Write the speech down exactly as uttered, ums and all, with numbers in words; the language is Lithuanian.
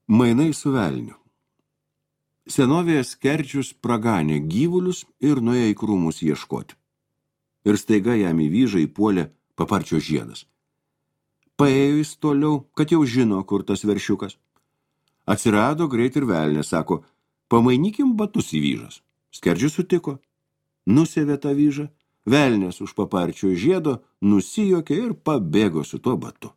Mainai su velniu. Senovėje skerdžius praganė gyvulius ir nuėjo į krūmus ieškoti. Ir staiga jam į vyžą įpuolė paparčio žiedas. Paėjo jis toliau, kad jau žino, kur tas veršiukas. Atsirado greit ir velnė, sako, pamainykim batus į vyžas. Skerdžius sutiko. Nusėvė tą vyžą, velnės už paparčio žiedo nusijuokė ir pabėgo su tuo batu.